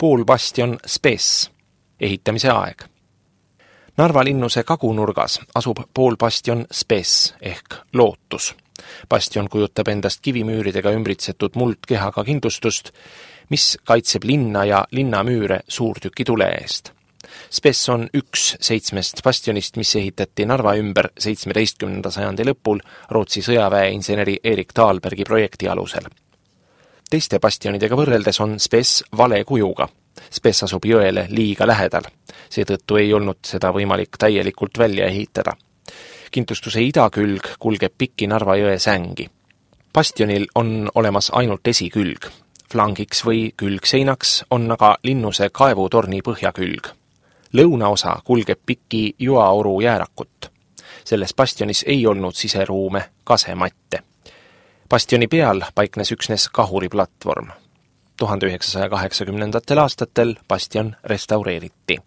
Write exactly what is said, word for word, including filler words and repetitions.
poolbastion Spes, ehitamise aeg. Narva linnuse kagunurgas asub poolbastion Spes ehk lootus. Bastion kujutab endast kivimüüridega ümbritsetud muldkehaga kindlustust, mis kaitseb linna ja linnamüüre suurtüki tule eest. Spes on üks seitsmest bastionist, mis ehitati Narva ümber seitsmeteistkümnenda sajandi lõpul Rootsi sõjaväeinseneri Erik Dahlbergi projekti alusel. Teiste bastionidega võrreldes on Spes vale kujuga. Spes asub jõele liiga lähedal. Seetõttu ei olnud seda võimalik täielikult välja ehitada. Kindlustuse idakülg kulgeb pikki Narva jõe sängi. Bastionil on olemas ainult esikülg. Flangiks või külgseinaks on aga linnuse kaevutorni põhjakülg. Lõunaosa kulgeb pikki Joaoru jäärakut. Selles bastionis ei olnud siseruume kasematte. Bastioni peal paiknes üksnes kahuriplatvorm. tuhande üheksasaja kaheksakümnendatel aastatel bastion restaureeriti.